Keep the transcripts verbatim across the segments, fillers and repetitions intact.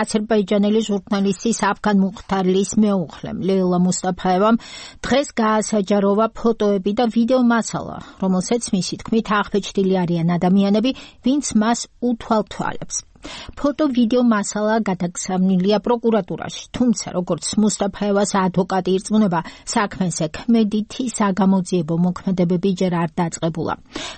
აზერბაიჯანელი ჟურნალისტის აფგან მუხთარლის მეუღლემ ლეილა მუსტაფაევამ დღეს გაასაჯაროვა ფოტოები და ვიდეო მასალა, რომელსაც მისი თქმით აღბეჭდილი არიან ადამიანები, ვინც მას უთვალთვალებს. Ფოტო ვიდეო მასალა გადაგზავნილია პროკურატურაში, თუმცა როგორც მუსტაფაევას ადვოკატი ირწმუნება, საქმეზე ქმედითი საგამოძიებო მოქმედებები ჯერ არ დაწყებულა.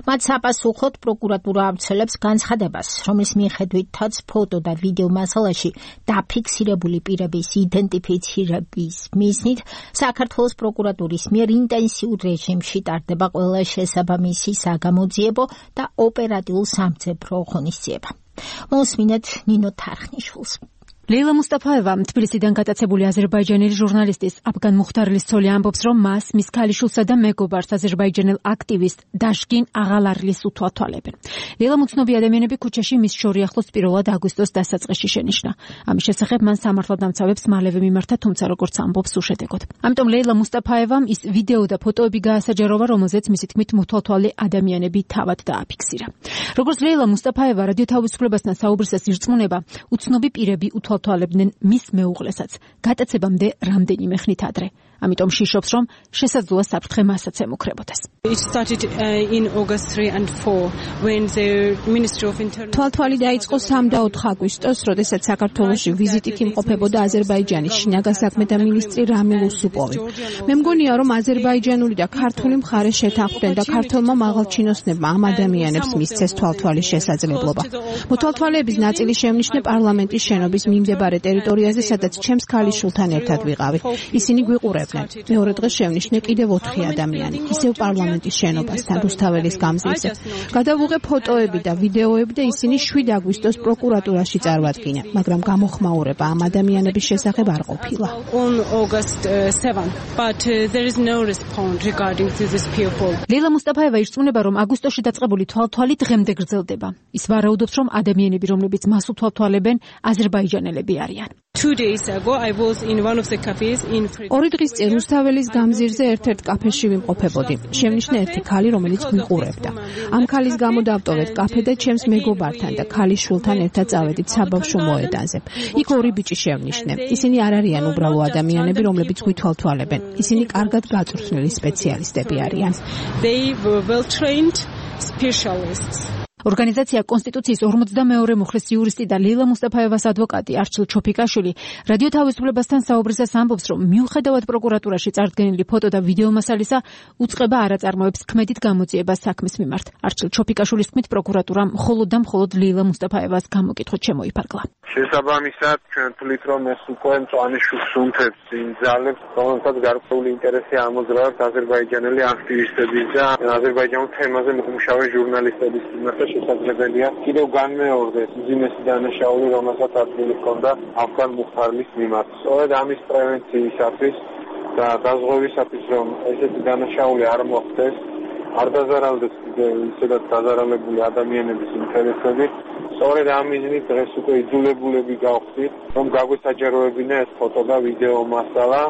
მათ საპასუხოდ პროკურატურა ავრცელებს განცხადებას, რომლის მიხედვითაც ფოტო და ვიდეო მასალაში დაფიქსირებული პირების იდენტიფიცირების მიზნით საქართველოს პროკურატურის მიერ ინტენსიურ რეჟიმში ტარდება ყველა შესაბამისი საგამოძიებო და ოპერატიულ სამძებრო ღონისძიება. მოსმინეთ ნინო თარხნიშვილს. ლეილა მუსტაფაევა თბილისიდან გატაცებული აზერბაიჯანელი ჟურნალისტის აფგან მუხთარლის ცოლი ამბობს, რომ მას, მის ქალიშვილსა და მეგობარს აზერბაიჯანელ აქტივისტ დაშკინ აღალარლის უთვალთვალებენ. ლეილა უცნობი ადამიანები ქუჩაში მის შორიახლოს პირველად აგვისტოს დასაწყისში შენიშნა. ამის შესახებ მან სამართალდამცავებს მალევე მიმართა, თუმცა როგორც ამბობს უშედეგოდ. ამიტომ ლეილა მუსტაფაევამ ის ვიდეო და ფოტოები გაასაჯაროვა, რომელზეც მისი თქმით მოთვალთვალე ადამიანები თავად დააფიქსირა. როგორც ლეილა მუსტაფაევა რადიო თავისუფლებასთან საუბრისას ირწმუნება, უცნობი პირები უთვალთვალებდნენ მის მეუღლესაც გატაცებამდე რამდენიმე ხნით ადრე. ამიტომ შიშობს, რომ შესაძლოა საფრთხე მასაც ემუქრებოდეს. თვალთვალი დაიწყო სამ და ოთხ აგვისტოს, როდესაც საქართველოში ვიზიტით იმყოფებოდა აზერბაიჯანის შინაგან საქმეთა მინისტრი რამილ უსუპოვი. მე მგონია, რომ აზერბაიჯანული და ქართული მხარე შეთანხმდნენ და ქართველმა მაღალჩინოსნებმა ამ ადამიანებს მისცეს თვალთვალის შესაძლებლობა. მოთვალთვალეების ნაწილი შემნიშნე პარლამენტის შენობის მიმდებარე ტერიტორიაზე, სადაც ჩემს ქალიშვილთან ერთად ვიყავი. ისინი გვიყურებდნენ. მეორე დღეს შევნიშნე კიდევ ოთხი ადამიანი, ისევ პარლამენტის შენობასთან რუსთაველის გამზირზე. გადავუღე ფოტოები და ვიდეოები და ისინი შვიდ აგვისტოს პროკურატურაში წარვადგინე, მაგრამ გამოხმაურება ამ ადამიანების შესახებ არ ყოფილა. ლეილა მუსტაფაევა ირწმუნება, რომ აგვისტოში დაწყებული თვალთვალი დღემდე გრძელდება. ის ვარაუდობს, რომ ადამიანები, რომლებიც მას უთვალთვალებენ, აზერბაიჯანელები არიან. ორი დღის წინ რუსთაველის გამზირზე ერთ-ერთ კაფეში ვიმყოფებოდი. შევნიშნე ერთი ქალი, რომელიც გვიყურებდა. ამ ქალის გამო დავტოვეთ კაფე და ჩემს მეგობართან და ქალიშვილთან ერთად წავედით საბავშვო მოედანზე. იქ ორი ბიჭი შევნიშნე. ისინი არ არიან უბრალო ადამიანები, რომლებიც გვითვალთვალებენ. ისინი კარგად გაწვრთნილი სპეციალისტები არიან. ორგანიზაცია კონსტიტუციის ორმოცდამეორე მუხლის იურისტი და ლეილა მუსტაფაევას ადვოკატი არჩილ ჩოფიკაშვილი რადიო თავისუფლებასთან საუბრისას ამბობს, რომ მიუხედავად პროკურატურაში წარდგენილი ფოტო და ვიდეო მასალისა, უწყება არ აწარმოებს ქმედით გამოძიებას საქმის მიმართ. არჩილ ჩოფიკაშვილის თქმით, პროკურატურამ მხოლოდ და მხოლოდ ლეილა მუსტაფაევას გამოკითხვით შემოიფარგლა. შესაბამისად, ჩვენ თვლით, რომ ეს უკვე მწვანე შუქს უმთებს იმ ძალებს, რომელთაც გარკვეული ინტერესი ამოძრავებს აზერბაიჯანელი აქტივისტების და აზერბაიჯანულ თემაზე მომუშავე ჟურნალისტების მიმართ. შესაძლებელია კიდევ განმეორდეს უძიმესი დანაშაული, რომელსაც ადგილი ჰქონდა აფგან მუხთარლის მიმართ. სწორედ ამის პრევენციისათვის და დაზღვევისათვის, რომ ესეთი დანაშაული არ მოხდეს, არ დაზარალდეს ისედაც დაზარალებული ადამიანების ინტერესები, სწორედ ამ მიზნით დღეს უკვე იძულებულები გავხდით, რომ გაგვესაჯაროებინა ეს ფოტო და ვიდეო მასალა.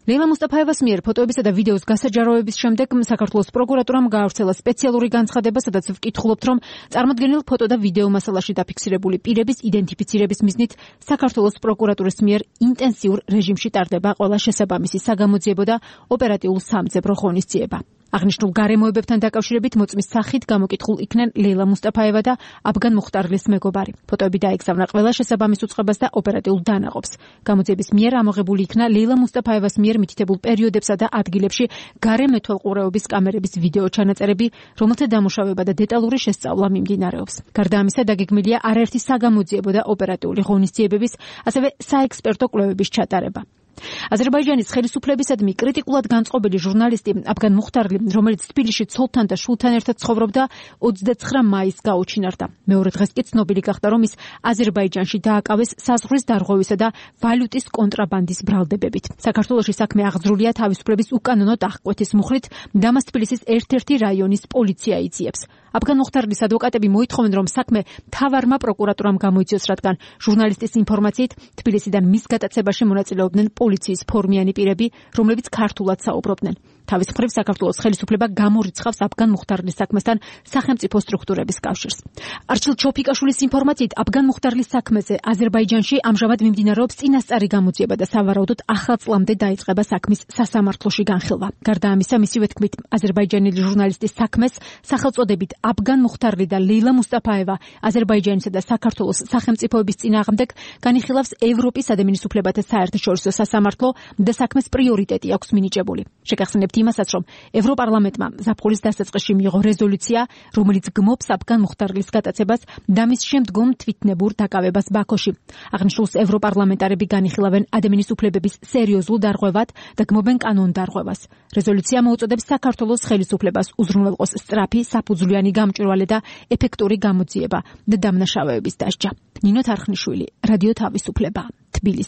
ლეილა მუსტაფაევას მიერ ფოტოებისა და ვიდეოს გასაჯაროების შემდეგ საქართველოს პროკურატურამ გაავრცელა სპეციალური განცხადება, სადაც ვკითხულობთ, რომ წარმოდგენილ ფოტო და ვიდეო მასალაში დაფიქსირებული პირების იდენტიფიცირების მიზნით საქართველოს პროკურატურის მიერ ინტენსიურ რეჟიმში ტარდება ყველა შესაბამისი საგამოძიებო და ოპერატიულ სამძებრო ღონისძიება. აღნიშნულ გარემოებებთან დაკავშირებით მოწმის სახით გამოკითხულ იქნენ ლეილა მუსტაფაევა და აფგან მუხთარლის მეგობარი. ფოტოები დაეგზავნა ყველა შესაბამის უწყებას და ოპერატიულ დანაყოფს. გამოძიების მიერ ამოღებული იქნა ლეილა მუსტაფაევას მიერ მითითებულ პერიოდებსა და ადგილებში გარემეთვალყურეობის კამერების ვიდეო ჩანაწერები, რომელთა დამუშავება და დეტალური შესწავლა მიმდინარეობს. გარდა ამისა, დაგეგმილია არაერთი საგამოძიებო და ოპერატიული ღონისძიებების, ასევე საექსპერტო კვლევების ჩატარება. აზერბაიჯანის ხელისუფლებისადმი კრიტიკულად განწყობილი ჟურნალისტი აფგან მუხთარლი, რომელიც თბილისში ცოლთან და შვილთან ერთად ცხოვრობდა, ოცდაცხრა მაისს გაუჩინარდა. მეორე დღეს კი ცნობილი გახდა, რომ ის აზერბაიჯანში დააკავეს საზღვრის დარღვევისა და ვალუტის კონტრაბანდის ბრალდებებით. საქართველოში საქმე აღძრულია თავისუფლების უკანონო დახკვეთის მუხლით, და მას თბილისის ერთ-ერთი რაიონის პოლიცია იძიებს. აფგან მუხთარლის ადვოკატები მოითხოვენ, რომ საქმე მთავარმა პროკურატურამ გამოიწვიოს, რადგან ჟურნალისტის ინფორმაციით თბილისიდან მის გატაცებაში მონაწილეობდნენ პოლიციის ფორმიანი პირები, რომლებიც ქართულად საუბრობდნენ. თავის მხრივ საქართველოს ხელისუფლება გამორიცხავს აფგან მუხტარლის საქმესთან სახელმწიფო სტრუქტურების კავშირს. არჩილ ჩოფიკაშვილის ინფორმაციით, აფგან მუხტარლის საქმეზე აზერბაიჯანში ამჟამად მიმდინარეობს წინასწარი გამოძიება და სავარაუდოდ ახალ წლამდე დაიწყება საქმის სასამართლოში განხილვა. გარდა ამისა, მისივე თქმით, აზერბაიჯანელი ჟურნალისტის საქმეს სახელწოდებით აფგან მუხტარლი და ლეილა მუსტაფაევა აზერბაიჯანისა და საქართველოს სახელმწიფოების წინააღმდეგ განიხილავს ევროპის ადამიანის უფლებათა საერთაშორისო სასამართლო და საქმეს პრიორიტეტი აქვს მინიჭებული. შეგახსენებთ იმასაც, რომ ევროპარლამენტმა ზაფხულის დასაწყისში მიიღო რეზოლუცია, რომელიც გმობს აფგან მუხტარლის გატაცებას და მის შემდგომ თვითნებურ დაკავებას ბაქოში. აღნიშნულს ევროპარლამენტარები განიხილავენ ადამიანის უფლებების სერიოზულ დარღვევად და გმობენ კანონ დარღვევას. რეზოლუცია მოუწოდებს საქართველოს ხელისუფლებას უზრუნველყოს სწრაფი, საფუძვლიანი გამჭვირვალე და ეფექტური გამოძიება და დამნაშავეების დასჯა. ნინო თარხნიშვილი, რადიო თავისუფლება, თბილისი.